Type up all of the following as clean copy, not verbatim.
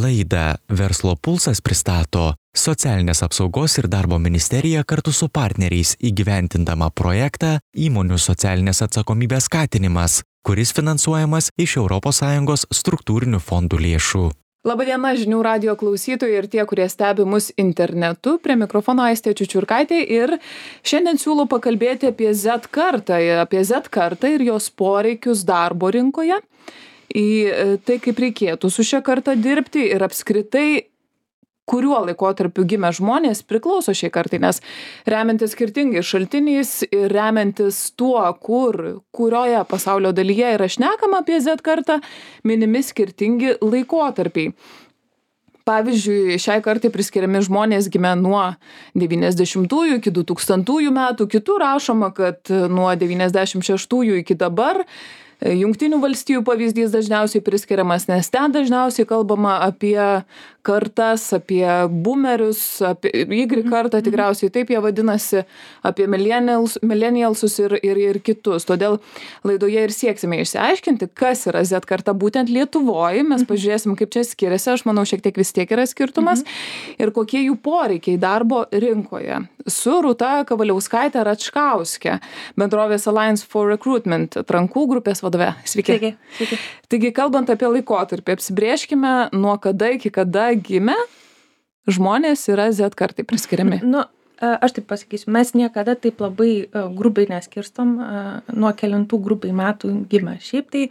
Laidą Verslo pulsas pristato Socialinės apsaugos ir darbo ministerija kartu su partneriais įgyvendindama projektą Įmonių socialinės atsakomybės skatinimas, kuris finansuojamas iš ES struktūrinių fondų lėšų. Labadiena žinių radijo klausytojai ir tie, kurie stebi mus internetu. Prie mikrofono Aistė Čiučiurkaitė ir šiandien siūlau pakalbėti apie Z kartą ir jos poreikius darbo rinkoje, į tai, kaip reikėtų su šia karta dirbti ir apskritai, kuriuo laikotarpiu gimę žmonės priklauso šiai kartai, nes remiantis skirtingais šaltiniais ir remiantis tuo, kurioje pasaulio dalyje yra šnekama apie Z kartą, minimi skirtingi laikotarpiai. Pavyzdžiui, šiai kartai priskiriami žmonės gimę nuo 90-ųjų iki 2000-ųjų metų, kitų rašoma, kad nuo 96-ųjų iki dabar. Jungtinių valstijų pavyzdys dažniausiai priskiriamas, nes ten dažniausiai kalbama apie kartas, apie boomerius, apie Y kartą, tikriausiai taip jie vadinasi, apie millennialsus ir kitus. Todėl laidoje ir sieksime išsiaiškinti, kas yra Z karta būtent Lietuvoje. Mes pažiūrėsim, kaip čia skiriasi, aš manau, šiek tiek vis tiek yra skirtumas ir kokie jų poreikiai darbo rinkoje. Su Rūta Kavaliauskaitė Račkauskė, bendrovės Alliance for Recruitment atrankų grupės vadove. Sveiki. Sveiki. Taigi, kalbant apie laikotarpį, apsibrėžkime, nuo kada iki kada gimę žmonės yra Z kartai priskiriami. Aš taip pasakysiu, mes niekada taip labai grubiai neskirstom, nuo kelintų grubiai metų gimę. Šiaip tai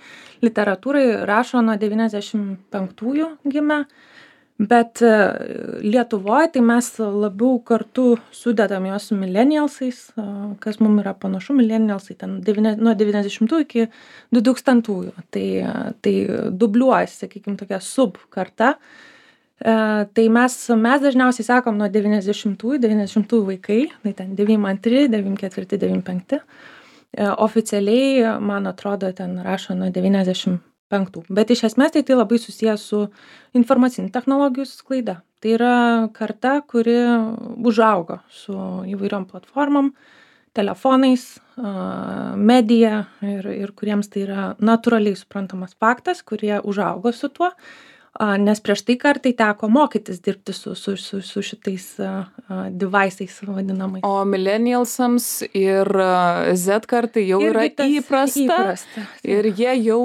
literatūrai rašo nuo 95-ųjų gimę, bet Lietuvoje tai mes labiau kartu sudedam juos su millennialsais, kas mums yra panašu, millennialsai ten nuo 90-ųjų iki 2000-ųjų. Tai dubliuojasi, sakykime, tokia subkarta. Tai mes dažniausiai sakom nuo 90-ųjų vaikai, tai ten 92, 94, 95. Oficialiai, man atrodo, ten rašo nuo 95. Bet iš esmės tai labai susijęs su informacinių technologijų sklaida. Tai yra karta, kuri užaugo su įvairiom platformom, telefonais, medija ir kuriems tai yra natūraliai suprantamas faktas, kurie užaugo su tuo. Nes prieš tai kartai teko mokytis dirbti su šitais device'ais vadinamais. O millennialsams ir Z kartai jau yra įprasta ir jie jau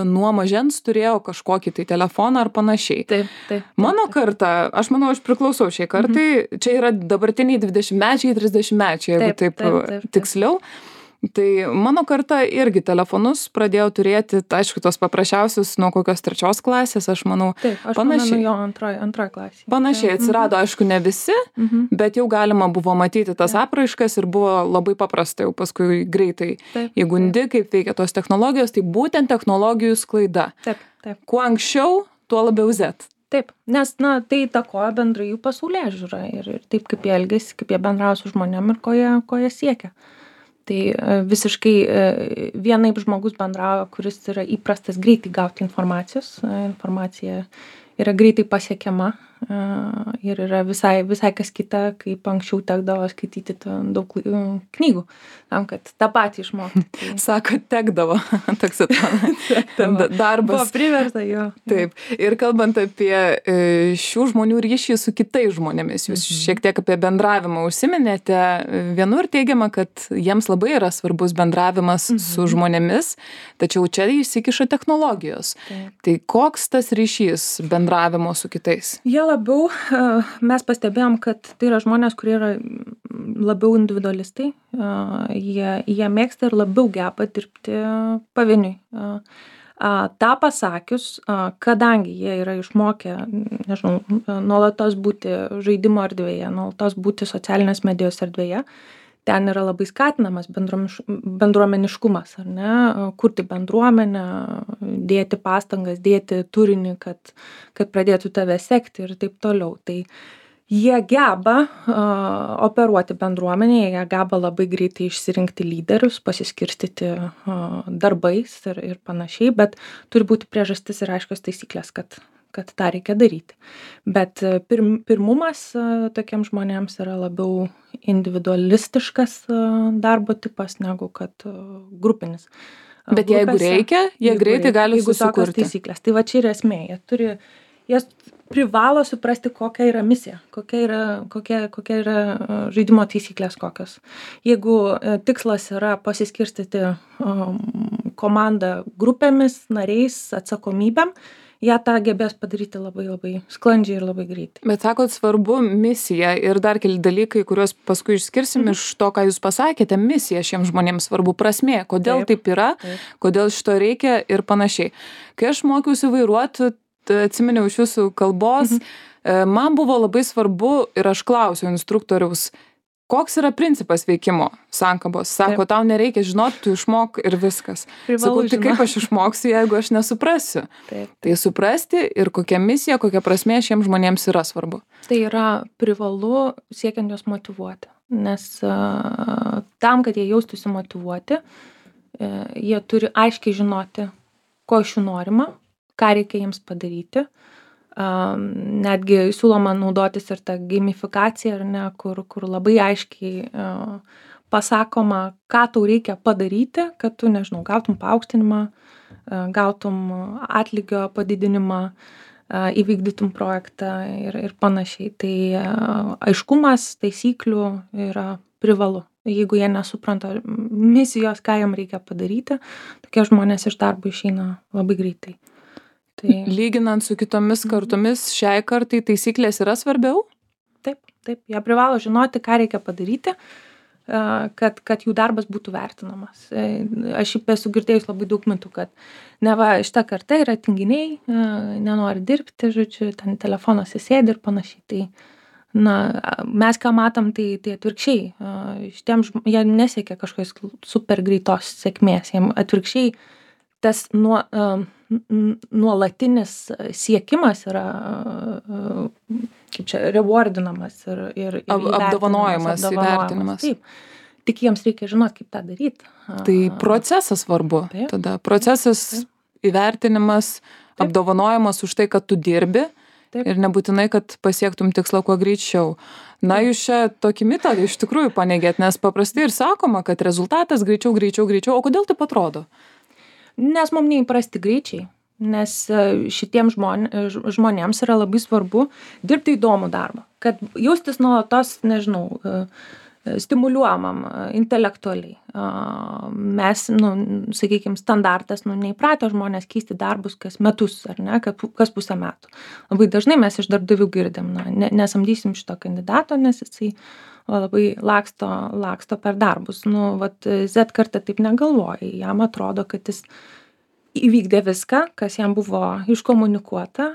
nuo mažens turėjo kažkokį tai telefoną ar panašiai. Taip. Mano karta, aš manau, aš priklausau šiai kartai, čia yra dabartiniai 20-mečiai, 30-mečiai, jeigu taip tiksliau. Tai mano karta irgi telefonus pradėjo turėti, aišku, tos paprasčiausius nuo kokios 3 klasės, aš manau, panašiai. Jo antroji klasė. Panašiai atsirado, aišku, ne visi, bet jau galima buvo matyti tas apraiškas ir buvo labai paprasta jau paskui greitai. Įgundi, kaip veikia tos technologijos, tai būtent technologijų sklaida. Taip. Kuo anksčiau, tuo labiau Z. Taip, nes tai įtakoja bendrai jų pasaulėžiūrą ir taip, kaip jie elgiasi, kaip jie bendrauja su žmonėm ir ko jie siekia. Tai visiškai vienaip žmogus bendrauja, kuris yra įprastas greitai gauti informacijos. Informacija yra greitai pasiekiama ir yra visai kas kita, kaip anksčiau tekdavo skaityti daug knygų, tam, kad tą patį išmokti. Sako, tekdavo, toks atrodo, darbas. Buvo priversta, jo. Taip. Ir kalbant apie šių žmonių ryšį su kitais žmonėmis, jūs šiek tiek apie bendravimą užsiminėte. Vienur teigiama, kad jiems labai yra svarbus bendravimas su žmonėmis, tačiau čia įsikiša technologijos. Tai koks tas ryšys bendravimo su kitais? Jie labiau, mes pastebėjom, kad tai yra žmonės, kurie yra labiau individualistai, jie mėgsta ir labiau geba dirbti pavieniui. Ta pasakius, kadangi jie yra išmokę, nežinau, nuolatos būti žaidimo erdvėje, nuolatos būti socialinės medijos erdvėje, ten yra labai skatinamas bendruomeniškumas, ar ne, kurti bendruomenę, dėti pastangas, dėti turinį, kad pradėtų tave sekti ir taip toliau. Tai jie geba operuoti bendruomenėje, jie geba labai greitai išsirinkti lyderius, pasiskirstyti darbais ir panašiai, bet turi būti priežastis ir aiškios taisyklės, kad tą reikia daryti. Bet pirmumas tokiems žmonėms yra labiau individualistiškas darbo tipas negu kad grupinis. Bet jeigu reikia, jie greitai gali susikurti. Taisyklės. Tai va čia yra esmė. Jie privalo suprasti, kokia yra misija, kokia yra žaidimo taisyklės kokios. Jeigu tikslas yra pasiskirstyti komandą grupėmis, nariais, atsakomybėm, jie tą gebės padaryti labai labai sklandžiai ir labai greitai. Bet sakot, svarbu misija ir dar keli dalykai, kuriuos paskui išskirsim iš to, ką jūs pasakėte, misija šiems žmonėms svarbu, prasmė, kodėl taip yra, kodėl šito reikia ir panašiai. Kai aš mokiausi vairuoti, atsiminiau iš jūsų kalbos, man buvo labai svarbu ir aš klausiau instruktoriaus, koks yra principas veikimo sankabos. Sako, tau nereikia žinoti, tu išmok ir viskas. Sakau, tai kaip aš išmoksiu, jeigu aš nesuprasiu? Tai suprasti ir kokia misija, kokia prasmė šiems žmonėms yra svarbu. Tai yra privalu siekiant juos motyvuoti. Nes tam, kad jie jaustųsi motyvuoti, jie turi aiškiai žinoti, ko iš jų norima, ką reikia jiems padaryti. Netgi siūloma naudotis ir tą gamifikaciją, ar ne, kur labai aiškiai pasakoma, ką tau reikia padaryti, kad tu, nežinau, gautum paaukštinimą, gautum atlygio padidinimą, įvykdytum projektą ir panašiai. Tai aiškumas taisyklių yra privalu. Jeigu jie nesupranta misijos, ką jam reikia padaryti, tokie žmonės iš darbo išeina labai greitai. Lyginant su kitomis kartomis, šiai kartai taisyklės yra svarbiau? Taip. Jie privalo žinoti, ką reikia padaryti, kad jų darbas būtų vertinamas. Aš esu girdėjus labai daug mitų, kad neva šita karta yra tinginiai, nenori dirbti, žodžiu, ten telefonuose sėdi ir panašiai. Tai, mes ką matom, tai atvirkščiai. Jie nesiekia kažkokios super greitos sėkmės. Jiem atvirkščiai tas nuolatinis siekimas yra kaip čia rewardinamas ir apdovanojimas, įvertinimas. Taip. Tik jiems reikia žinoti, kaip tą daryti. Tai procesas svarbu. Tada procesas, įvertinimas, apdovanojimas už tai, kad tu dirbi. Ir nebūtinai, kad pasiektum tikslą kuo greičiau. Jūs čia tokį mitą iš tikrųjų paneigėt, nes paprastai ir sakoma, kad rezultatas greičiau. O kodėl taip atrodo? Nes mums neįprasti greičiai, nes šitiems žmonėms yra labai svarbu dirbti įdomų darbą, kad jaustis nuolatos, nežinau, stimuliuojamam intelektualiai. Mes, sakykime, standartas, neįpratę žmonės keisti darbus kas metus, ar ne, kas pusę metų. Labai dažnai mes iš darbdavių girdim, nesamdysim šito kandidato, nes jisai labai laksto per darbus. Z karta taip negalvoja. Jam atrodo, kad jis įvykdė viską, kas jam buvo iškomunikuota,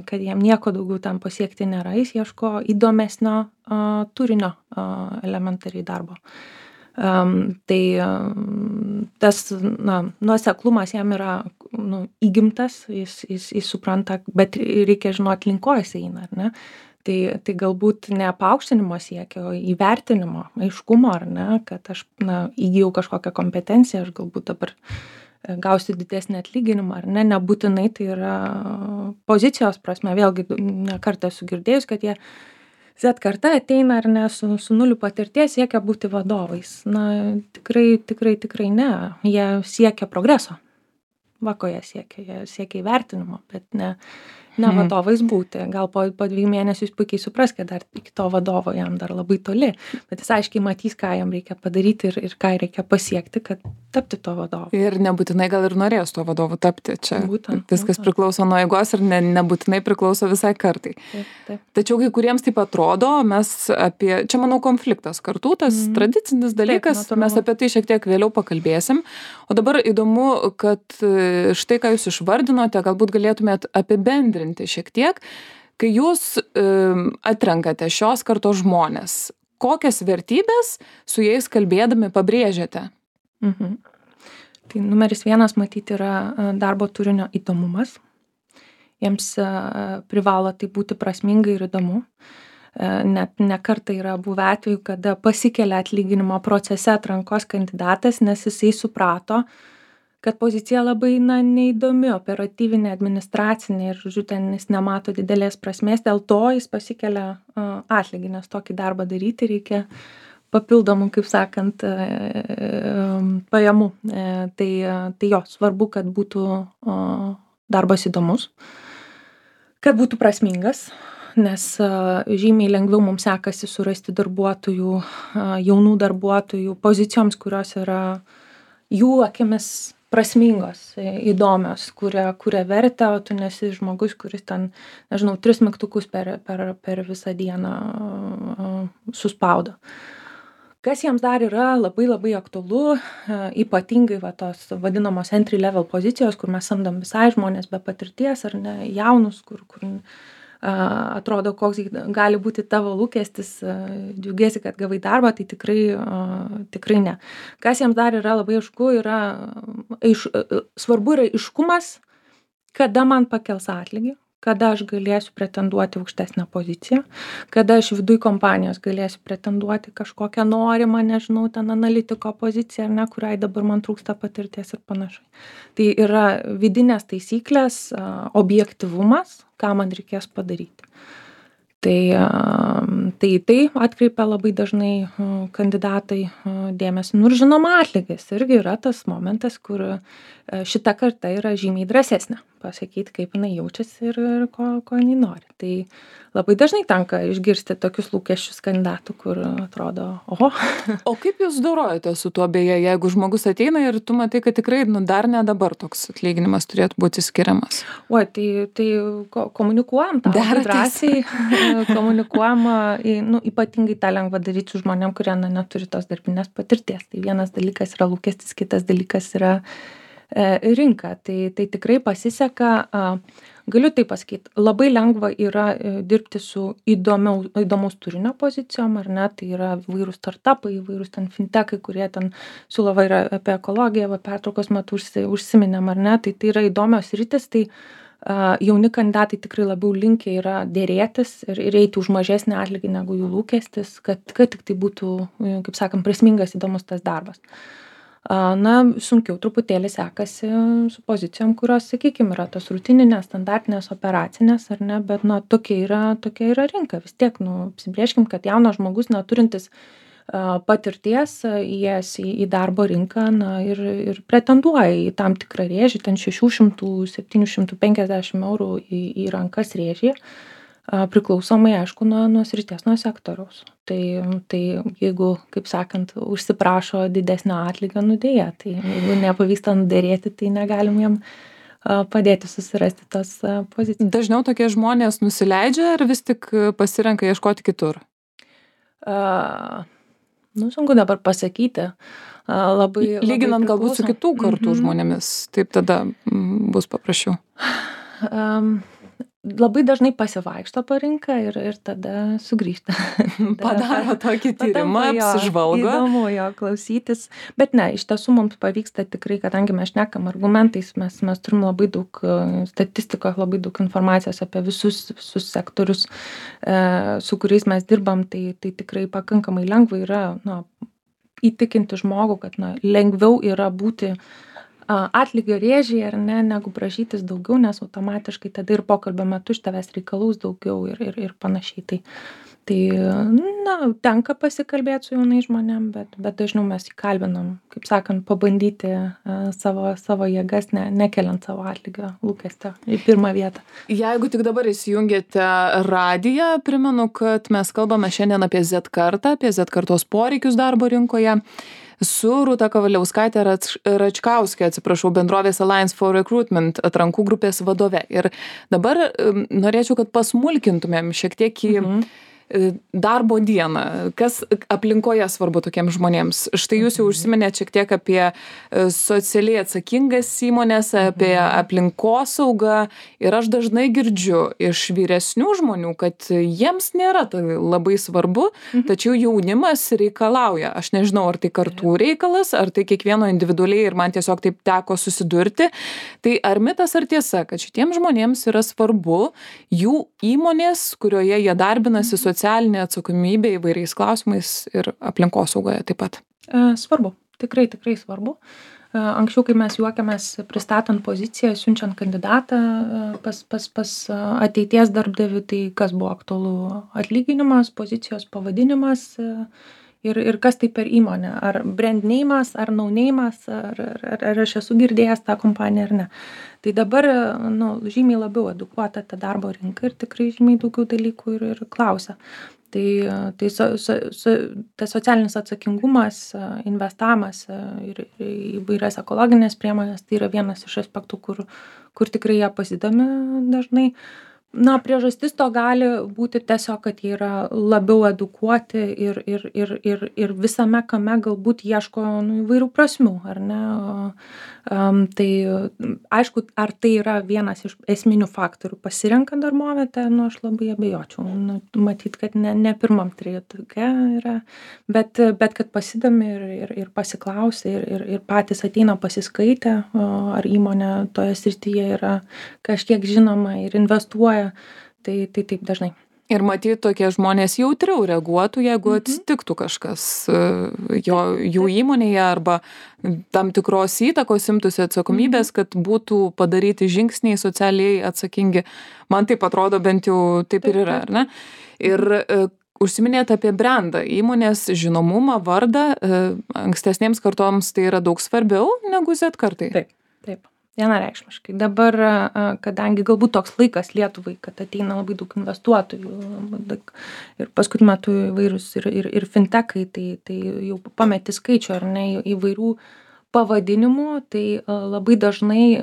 kad jam nieko daugiau tam pasiekti nėra. Jis ieško įdomesnio turinio elementariai darbo. Tai tas nuoseklumas jam yra įgimtas, jis supranta, bet reikia žinoti, link ko jis eina, ar ne? Tai galbūt ne paaukštinimo siekio, o įvertinimo, aiškumo, ar ne, kad aš įgijau kažkokią kompetenciją, aš galbūt dabar gausiu didesnį atlyginimą, ar ne, nebūtinai tai yra pozicijos prasme. Vėlgi, ne kartą esu girdėjus, kad jie Z karta ateina, ar ne, su nuliu patirties siekia būti vadovais. Tikrai ne. Jie siekia progreso. Ko jie siekia? Jie siekia įvertinimo, bet ne vadovais būti. Gal po 2 mėnesių jis puikiai supras, kad dar iki to vadovo jam dar labai toli, bet jis aiškiai matys, ką jam reikia padaryti ir ką reikia pasiekti, kad tapti to vadovu. Ir nebūtinai gal ir norės to vadovu tapti. Čia viskas priklauso nuo eigos ir nebūtinai priklauso visai kartai. Taip. Tačiau kai kuriems taip atrodo, mes čia manau konfliktas kartų, tas tradicinis dalykas, mes apie tai šiek tiek vėliau pakalbėsim. O dabar įdomu, kad štai ką jūs išvardinote, galbūt galėtumėt apibendrinti šiek tiek, kai jūs atrenkate šios kartos žmonės, kokias vertybės su jais kalbėdami pabrėžiate? Tai numeris 1 matyti yra darbo turinio įdomumas. Jiems privalo tai būti prasminga ir įdomu. Net ne kartą yra buvę atvejų, kada pasikelia atlyginimo procese atrankos kandidatas, nes jisai suprato, kad pozicija labai neįdomi, operatyvinė, administracinė ir, žodžiu, ten jis nemato didelės prasmės, dėl to jis pasikelia atlygį, nes tokį darbą daryti reikia papildomų, kaip sakant, pajamų. Tai jo, svarbu, kad būtų darbas įdomus, kad būtų prasmingas, nes žymiai lengviau mums sekasi surasti darbuotojų, jaunų darbuotojų pozicijoms, kurios yra jų akimis prasmingos, įdomios, kuria vertę, o tu nesi žmogus, kuris ten, nežinau, 3 mygtukus per visą dieną suspaudo. Kas jiems dar yra labai labai aktualu, ypatingai tos vadinamos entry level pozicijos, kur mes samdom visai žmonės be patirties ar ne, jaunus, kur atrodo, koks gali būti tavo lūkestis, džiaugiesi, kad gavai darbą, tai tikrai ne. Kas jiems dar yra labai aišku, svarbu yra aiškumas, kada man pakels atlygį, kada aš galėsiu pretenduoti aukštesnę poziciją, kada aš viduj kompanijos galėsiu pretenduoti kažkokią norimą, nežinau, ten analitiko poziciją, ar ne, kuriai dabar man trūksta patirties ir panašiai. Tai yra vidinės taisyklės, objektyvumas, ką man reikės padaryti. Tai atkreipia labai dažnai kandidatai dėmesį. Ir žinoma, atlygis irgi yra tas momentas, kur šita karta yra žymiai drąsesnė pasakyti, kaip jinai jaučiasi ir ko jinai nori. Tai labai dažnai tenka išgirsti tokius lūkesčius kandidatų, kur atrodo, oho. O kaip jūs dorojate su tuo, beje, jeigu žmogus ateina ir tu matai, kad tikrai dar ne dabar toks atlyginimas turėtų būti skiriamas? Oi, tai komunikuojam tą drąsiai, komunikuojam, ypatingai tą lengva daryti su žmonėm, kurie neturi tos darbinės patirties. Tai vienas dalykas yra lūkestis, kitas dalykas yra rinka. Tai tikrai pasiseka, galiu tai pasakyti, labai lengva yra dirbti su įdomaus turinio pozicijom, ar ne, tai yra įvairūs startupai, įvairūs ten fintechai, kurie ten siūlo apie ekologiją, pertraukos metu užsiminėm, ar ne, tai yra įdomios sritys, tai jauni kandidatai tikrai labiau linkę yra dėrėtis ir eiti už mažesnį atlygį negu jų lūkestis, kad tik tai būtų, kaip sakant, prasmingas, įdomus tas darbas. Sunkiau truputėlį sekasi su pozicijom, kurios, sakykime, yra tos rutininės, standartinės, operacinės, ar ne, bet tokia yra rinka. Vis tiek, apsibrėžkim, kad jaunas žmogus neturintis patirties įėjęs į darbo rinką ir pretenduoja į tam tikrą rėžį, ten 600-750 eurų į rankas rėžį, priklausomai, aišku, nuo srities, nuo sektoriaus. Tai jeigu, kaip sakant, užsiprašo didesnio atlygio, dėja, tai jeigu nepavyksta nuderėti, tai negalim jam padėti susirasti tos pozicijas. Dažniau tokie žmonės nusileidžia ar vis tik pasirenka ieškoti kitur? Sunku dabar pasakyti. Lyginant galbūt su kitų kartų žmonėmis, taip tada bus paprasčiau. Labai dažnai pasivaikšto po rinką ir tada sugrįžta. Padaro tokį tyrimą, apsižvalgo. Įdomu jo klausytis. Bet ne, iš tiesų mums pavyksta tikrai, kadangi mes šnekam argumentais, mes turim labai daug statistikos, labai daug informacijos apie visus sektorius, su kuriais mes dirbam, tai tikrai pakankamai lengva yra įtikinti žmogų, kad lengviau yra būti atlygio rėžį, ar ne, negu prašytis daugiau, nes automatiškai tada ir pokalbio metu iš tavęs reikalaus daugiau ir panašiai. Tai tenka pasikalbėti su jaunais žmonėm, bet dažniau mes įkalbinam, kaip sakant, pabandyti savo jėgas, nekeliant savo atlygio lūkestio į pirmą vietą. Jeigu tik dabar įsijungėte radiją, primenu, kad mes kalbame šiandien apie Z kartą, apie Z kartos poreikius darbo rinkoje. Su Rūta Kavaliauskaitė Račkauskė, bendrovės Alliance for Recruitment atrankų grupės vadove. Ir dabar norėčiau, kad pasmulkintumėm šiek tiek į darbo dieną. Kas aplinkoje svarbu tokiems žmonėms? Štai jūs jau užsiminėte šiek tiek apie socialiai atsakingas įmonės, apie aplinkosaugą ir aš dažnai girdžiu iš vyresnių žmonių, kad jiems nėra tai labai svarbu, tačiau jaunimas reikalauja. Aš nežinau, ar tai kartų reikalas, ar tai kiekvieno individualiai ir man tiesiog taip teko susidurti. Tai ar mitas, ar tiesa, kad šitiems žmonėms yra svarbu jų įmonės, kurioje jie darbinasi, socialinė atsakomybė įvairiais klausimais ir aplinkosaugoje taip pat? Svarbu, tikrai svarbu. Anksčiau, kai mes juokiamės pristatant poziciją, siunčiant kandidatą pas ateities darbdavių, tai kas buvo aktualu? Atlyginimas, pozicijos pavadinimas ir kas tai per įmonė, ar brand name'as, ar no name'as, ar aš esu girdėjęs tą kompaniją ar ne. Tai dabar žymiai labiau edukuota ta darbo rinka ir tikrai žymiai daugiau dalykų ir klausia. Tai tas socialinis atsakingumas, investavimas ir įvairias ekologinės priemonės, tai yra vienas iš aspektų, kur tikrai jie pasidomi dažnai. Priežastis to gali būti tiesiog, kad jie yra labiau edukuoti ir visame kame galbūt ieško įvairių prasmių, ar ne? Tai aišku, ar tai yra vienas iš esminių faktorių pasirenkant darbovietę, aš labai abejočiau. Matyt, kad ne pirmam trejetuke yra, bet kad pasidomi ir pasiklausia ir patys ateina pasiskaitę, ar įmonė toje srityje yra kažkiek žinoma ir investuoja. Tai taip dažnai. Ir matyt, tokie žmonės jautriau reaguotų, jeigu atsitiktų kažkas jų įmonėje arba tam tikros įtakos imtųsi atsakomybės, kad būtų padaryti žingsniai socialiai atsakingi. Man taip atrodo, bent jau taip ir yra, ar ne? Ir užsiminėt apie brandą, įmonės žinomumą, vardą, ankstesnėms kartoms tai yra daug svarbiau negu Z kartai. Taip. Vienareikšmiškai. Dabar, kadangi galbūt toks laikas Lietuvai, kad ateina labai daug investuotojų ir paskutiniu metu įvairūs ir fintechai, tai jau pameti skaičių, ar ne, įvairių pavadinimų, tai labai dažnai,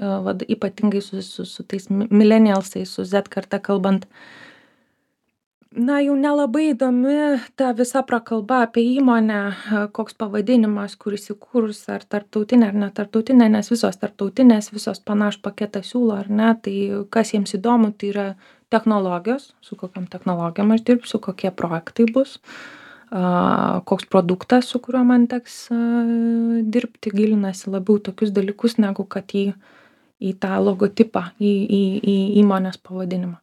ypatingai su tais millennialsais, su Z karta kalbant, jau nelabai įdomi ta visa prakalba apie įmonę, koks pavadinimas, kur įsikūrus, ar tarptautinė, ar netarptautinė, nes visos tarptautinės, visos panašų paketą siūlo, ar ne, tai kas jiems įdomu, tai yra technologijos, su kokiam technologijom aš dirbsiu, kokie projektai bus, koks produktas, su kuriuo man teks dirbti, gilinasi labiau tokius dalykus, negu kad į tą logotipą, į įmonės pavadinimą.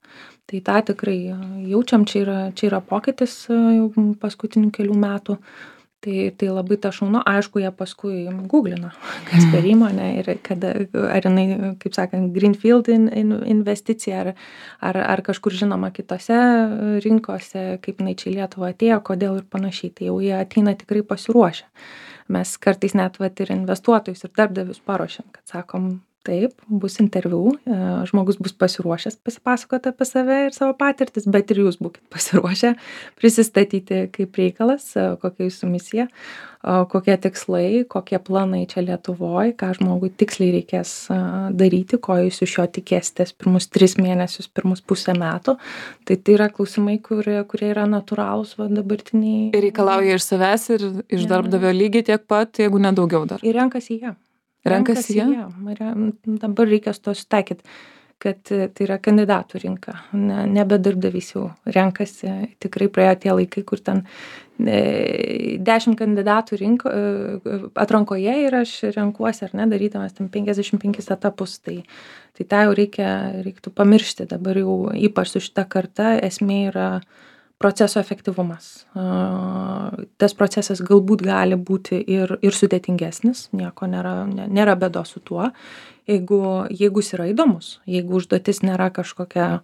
Tai tą tikrai jaučiam, čia yra pokytis jau paskutinių kelių metų, tai labai ta šaunu, aišku, jie paskui googlina, kas per įmonė ir ar jinai, kaip sakant, greenfield investicija, ar kažkur žinoma kitose rinkose, kaip jinai čia į Lietuvą atėjo, kodėl ir panašiai, tai jau jie ateina tikrai pasiruošę. Mes kartais net ir investuotojus ir darbdavius paruošiam, kad sakom, taip, bus interviu, žmogus bus pasiruošęs pasipasakoti apie save ir savo patirtis, bet ir jūs būkit pasiruošę prisistatyti kaip reikalas, kokia jūsų misija, kokie tikslai, kokie planai čia Lietuvoje, ką žmogui tiksliai reikės daryti, ko jūs iš jo tikėsitės pirmus 3 mėnesius, pirmus pusę metų. Tai yra klausimai, kurie yra natūralūs dabartiniai. Ir reikalauja iš savęs ir iš darbdavio lygiai tiek pat, jeigu nedaugiau dar. Ir renkasi jie. Renkasi jie? Dabar reikia su to sutaikyti, kad tai yra kandidatų rinka, nebe darbdavys jau renkasi, tikrai praėjo tie laikai, kur ten 10 kandidatų atrankoje ir aš renkuosi, ar ne, darydamas ten 55 etapus, tai tą jau reiktų pamiršti, dabar jau ypač su šita karta esmė yra proceso efektyvumas. Tas procesas galbūt gali būti ir sudėtingesnis, nieko nėra bėdos su tuo, jeigu jis yra įdomus, jeigu užduotis nėra kažkokia,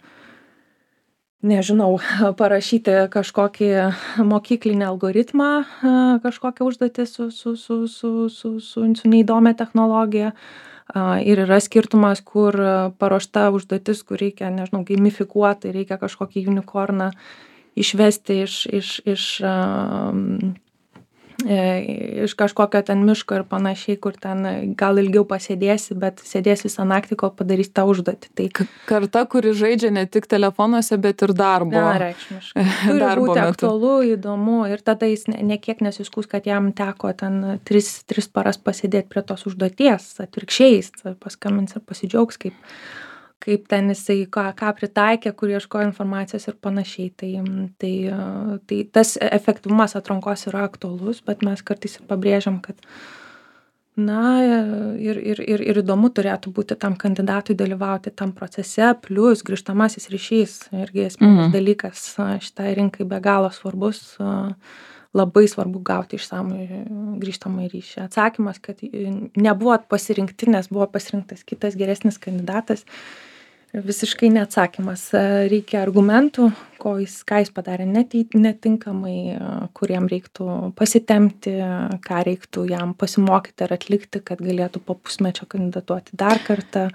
nežinau, parašyti kažkokį mokyklinį algoritmą, kažkokią užduotį su neįdomia technologija. Ir yra skirtumas, kur paruošta užduotis, kur reikia, nežinau, gamifikuoti, reikia kažkokį unicorną išvesti iš kažkokio ten miško ir panašiai, kur ten gal ilgiau pasėdėsi, bet sėdės visą naktį, kol padarys tą užduotį. Tai karta, kuri žaidžia ne tik telefonuose, bet ir darbo. Vienareikšmiškai. Turi būti aktualu, įdomu ir tada jis nekiek nesiskųs, kad jam teko ten 3 paras pasėdėti prie tos užduoties, atvirkščiai paskambins ir pasidžiaugs, kaip ten jisai ką pritaikė, kur ieškojo informacijos ir panašiai. Tai tas efektyvumas atrankos yra aktualus, bet mes kartais ir pabrėžiam, kad ir įdomu turėtų būti tam kandidatui dalyvauti tam procese, plus grįžtamasis ryšys, irgi esminis dalykas šitai rinkai be galo svarbus, labai svarbu gauti išsamų grįžtamą ryšį. Atsakymas, kad nebuvo pasirinkti, nes buvo pasirinktas kitas geresnis kandidatas, Visiškai neatsakymas. Reikia argumentų, ką jis padarė netinkamai, kur jam reiktų pasitempti, ką reiktų jam pasimokyti ar atlikti, kad galėtų po pusmečio kandidatuoti dar kartą.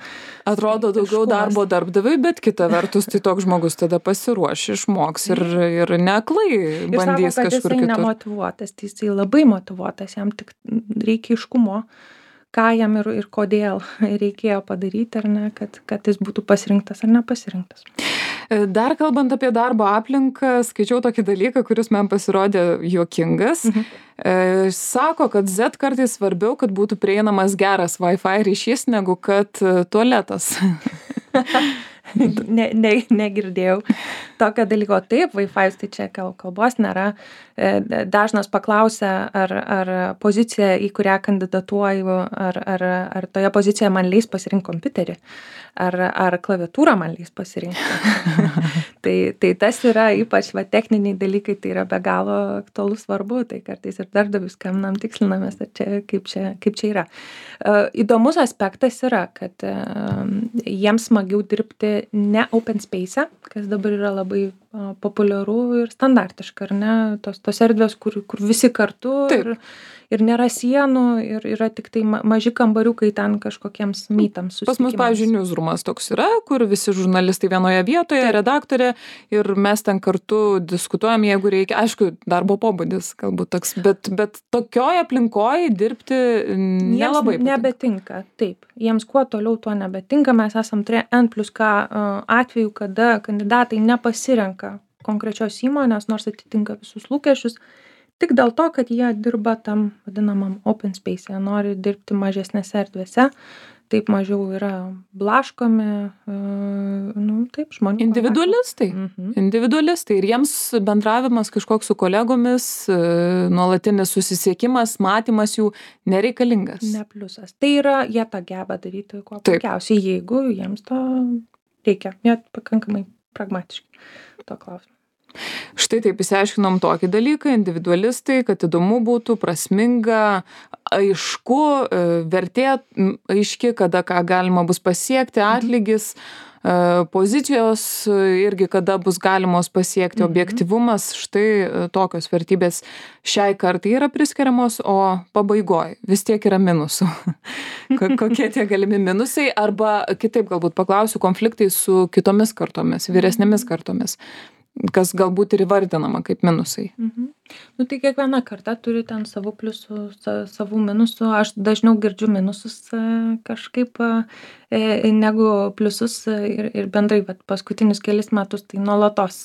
Atrodo daugiau darbo darbdaviui, bet kita vertus, tai toks žmogus tada pasiruoš, išmoks ir neaklai bandys kažkur kitur. Ir sako, kad jisai nemotyvuotas, tai jisai labai motyvuotas, jam tik reikia aiškumo, ką jam ir kodėl reikėjo padaryti, ar ne, kad jis būtų pasirinktas ar nepasirinktas. Dar kalbant apie darbo aplinką, skaičiau tokį dalyką, kuris man pasirodė juokingas. Sako, kad Z kartais svarbiau, kad būtų prieinamas geras Wi-Fi ryšys, negu kad tualetas. Negirdėjau tokio dalyko. Taip, Wi-Fi, tai čia kalbos nėra. Dažnas paklausia, ar pozicija, į kurią kandidatuoju, ar toje pozicijoje man leis pasirinkti kompiuterį, ar klaviatūrą man leis pasirinkti. tai tas yra ypač techniniai dalykai, tai yra be galo aktualus svarbu, tai kartais ir darbdavius skambinam, tikslinamės, kaip čia yra. Įdomus aspektas yra, kad jiems smagiau dirbti ne open space, kas dabar yra labai populiaru ir standartiška, ar ne? Tos erdvės, kur visi kartu ir nėra sienų ir yra tik tai maži kambariukai ten kažkokiems mytams susitikimams. Pas mus, pavyzdžiui, newsroomas toks yra, kur visi žurnalistai vienoje vietoje, redaktorė, ir mes ten kartu diskutuojam, jeigu reikia. Aišku, darbo pobūdis galbūt toks, bet tokioj aplinkoje dirbti nelabai patinka. Nebetinka, taip. Jiems kuo toliau tuo nebetinka. Mes esam N+K atveju, kada kandidatai nepasirenka konkrečios įmonės, nors atitinka visus lūkesčius, tik dėl to, kad jie dirba tam vadinamam open space, nori dirbti mažesnėse erdvėse, taip mažiau yra blaškomi, taip, žmonių. Individualistai. Ir jiems bendravimas kažkoks su kolegomis, nuolatinis susisiekimas, matymas jų nereikalingas. Ne pliusas. Tai yra, jie tą geba daryti kuo puikiausiai, jeigu jiems to reikia. Jie pakankamai pragmatiški to klausimu. Štai taip išsiaiškinom tokį dalyką, individualistai, kad įdomu būtų, prasminga, aišku, vertė aiški, kada ką galima bus pasiekti, atlygis, pozicijos irgi kada bus galimos pasiekti, objektyvumas, štai tokios vertybės šiai kartai yra priskiriamos, o pabaigoj vis tiek yra minusų. Kokie tie galimi minusai, arba kitaip galbūt paklausiu, konfliktai su kitomis kartomis, vyresnėmis kartomis, kas galbūt ir įvardinama kaip minusai. Tai kiekviena karta turi ten savų pliusų, savų minusų. Aš dažniau girdžiu minusus kažkaip negu pliusus ir bendrai paskutinius kelis metus tai nuolatos.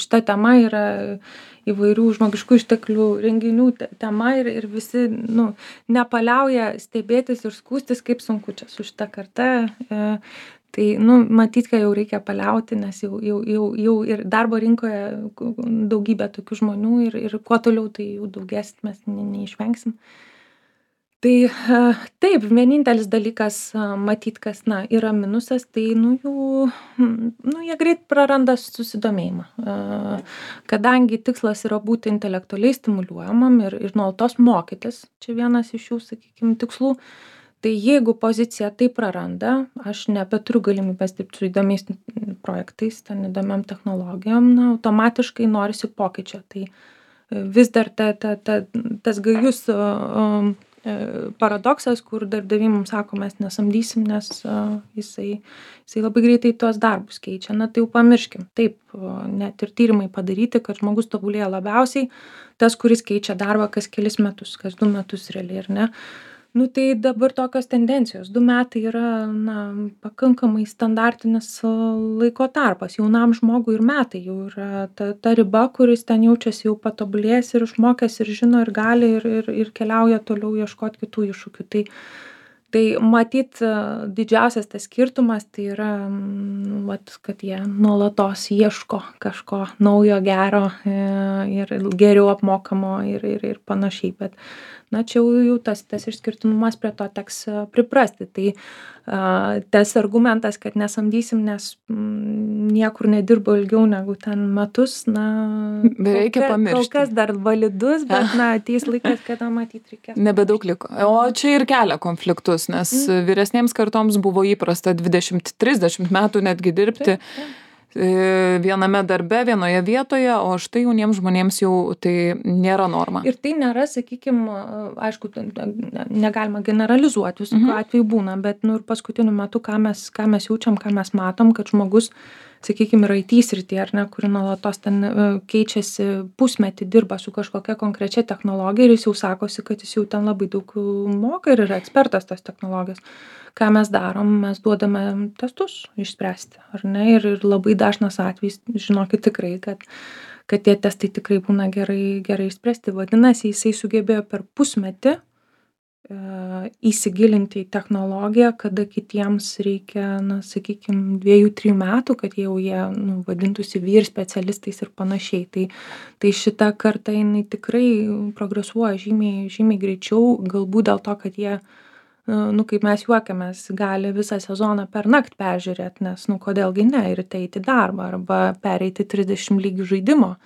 Šita tema yra įvairių žmogiškų išteklių renginių tema ir visi nepaliauja stebėtis ir skųstis, kaip sunku čia su šita karta. Tai, matyt, kad jau reikia paliauti, nes jau ir darbo rinkoje daugybė tokių žmonių ir kuo toliau tai jau daugės, mes neišvengsim. Tai taip, vienintelis dalykas, matyt, kas yra minusas, tai jie greit praranda susidomėjimą. Kadangi tikslas yra būti intelektualiai stimuliuojamam ir nuolatos mokytis, čia vienas iš jų, sakykime, tikslų. Tai jeigu pozicija tai praranda, aš nebeturiu galimybės dirbti su įdomiais projektais, ten įdomiam technologijom, automatiškai norisi pokyčio. Tai vis dar tas gajus paradoksas, kur darbdaviai mums sako, mes nesamdysim, nes jisai labai greitai tuos darbus keičia. Tai jau pamirškim. Taip, net ir tyrimai padaryti, kad žmogus tobulėja labiausiai, tas, kuris keičia darbą kas kelis metus, kas 2 metus realiai, ar ne? Tai dabar tokios tendencijos. 2 metai yra pakankamai standartinis laiko tarpas. Jaunam žmogui ir metai jau yra ta riba, kuris ten jaučiasi jau patobulėjęs ir išmokęs ir žino ir gali ir keliauja toliau ieškoti kitų iššūkių. Tai matyt, didžiausias tas skirtumas tai yra, kad jie nuolatos ieško kažko naujo, gero ir geriau apmokamo ir panašiai. Bet čia jau tas išskirtinumas prie to teks priprasti. Tai tas argumentas, kad nesamdysim, nes niekur nedirbo ilgiau negu ten metus, reikia pamiršti. Kol kas dar validus, bet ateis laikas, kada matyt reikės. Nebedaug liko. O čia ir kelia konfliktus. kartos, nes vyresnėms kartoms buvo įprasta 20-30 metų netgi dirbti viename darbe, vienoje vietoje, o štai jauniems žmonėms jau tai nėra norma. Ir tai nėra, sakykime, aišku, negalima generalizuoti, visokių atvejų būna, bet ir paskutiniu metu, ką mes jaučiam, ką mes matom, kad žmogus, sakykime, yra IT srityje, ar ne, kuri nuolatos ten keičiasi, pusmetį dirba su kažkokia konkrečia technologija ir jis jau sakosi, kad jis jau ten labai daug moka ir yra ekspertas tos technologijos. Ką mes darom, mes duodame testus išspręsti, ar ne, ir labai dažnas atvejis, žinokit tikrai, kad tie testai tikrai būna gerai išspręsti. Vadinasi, jisai sugebėjo per pusmetį įsigilinti į technologiją, kada kitiems reikia, sakykime, 2-3 metų, kad jie vadintųsi vyr specialistais ir panašiai. Tai šita karta, jinai tikrai progresuoja žymiai greičiau, galbūt dėl to, kad jie, kaip mes juokiamės, gali visą sezoną per naktį peržiūrėti, nes, kodėlgi ne, ir eiti į darbą, arba pereiti 30 lygių žaidimo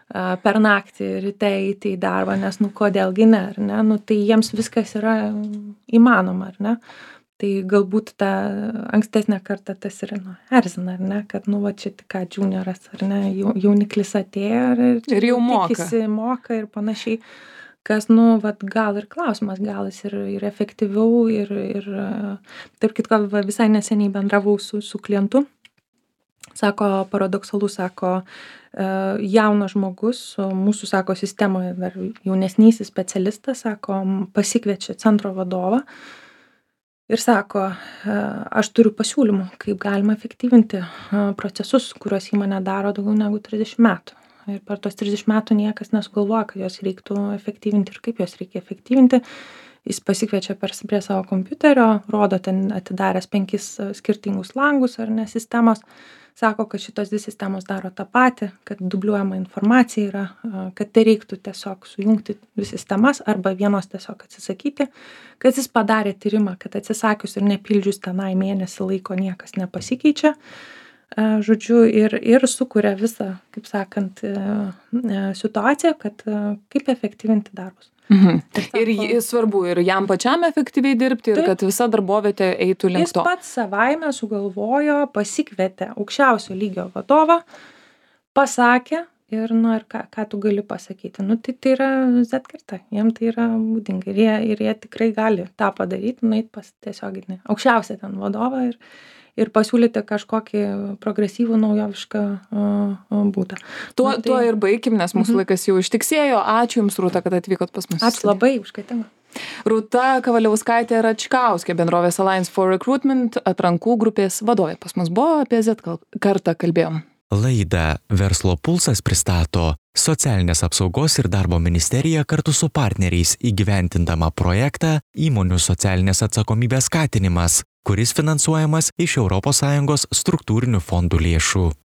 per naktį ir eiti į darbą, nes, kodėlgi ne, ar ne, tai jiems viskas yra įmanoma, ar ne. Tai galbūt ta ankstesnė karta tas ir erzina, ar ne, kad, čia tik ką junioras, ar ne, jauniklis atėjo ir jau moka ir panašiai. Kas, gal ir klausimas, gal jis ir efektyviau ir tarp kitko, visai neseniai bendravau su klientu, sako, paradoksalu, sako, jaunas žmogus, mūsų, sako, sistemoje dar jaunesnysis specialistas, sako, pasikviečia centro vadovą ir sako, aš turiu pasiūlymų, kaip galima efektyvinti procesus, kuriuos įmonė daro daugiau negu 30 metų. Ir per tos 30 metų niekas nesugalvoja, kad jos reiktų efektyvinti ir kaip jos reikia efektyvinti. Jis pasikviečia prie savo kompiuterio, rodo ten atidaręs 5 skirtingus langus ar ne sistemos, sako, kad šitos 2 sistemos daro tą patį, kad dubliuojama informacija yra, kad tai reiktų tiesiog sujungti 2 sistemas arba vienos tiesiog atsisakyti, kad jis padarė tyrimą, kad atsisakius ir nepildžius tenai mėnesį laiko niekas nepasikeičia. Žodžiu, ir sukuria visą, kaip sakant, situaciją, kad kaip efektyvinti darbus. Ir svarbu ir jam pačiam efektyviai dirbti ir kad visa darbovietė eitų link to. Jis pats savaime sugalvojo, pasikvietė aukščiausio lygio vadovą, pasakė ir, ir ką tu gali pasakyti. Tai yra Z karta, jiem tai yra būdinga ir jie tikrai gali tą padaryti, nueit pas tiesioginį aukščiausią ten vadovą ir pasiūlyti kažkokį progresyvų, naujovišką būdą. Tuo ir baigim, nes mūsų laikas jau ištiksėjo. Ačiū Jums, Rūta, kad atvykot pas mus. Ačiū labai už kvietimą. Rūta Kavaliauskaitė Račkauskė, bendrovės Alliance for Recruitment atrankų grupės vadovė. Pas mus buvo, apie Z kartą kalbėjom. Laidą Verslo pulsas pristato Socialinės apsaugos ir darbo ministerija kartu su partneriais įgyvendindama projektą Įmonių socialinės atsakomybės skatinimas, kuris finansuojamas iš ES struktūrinių fondų lėšų.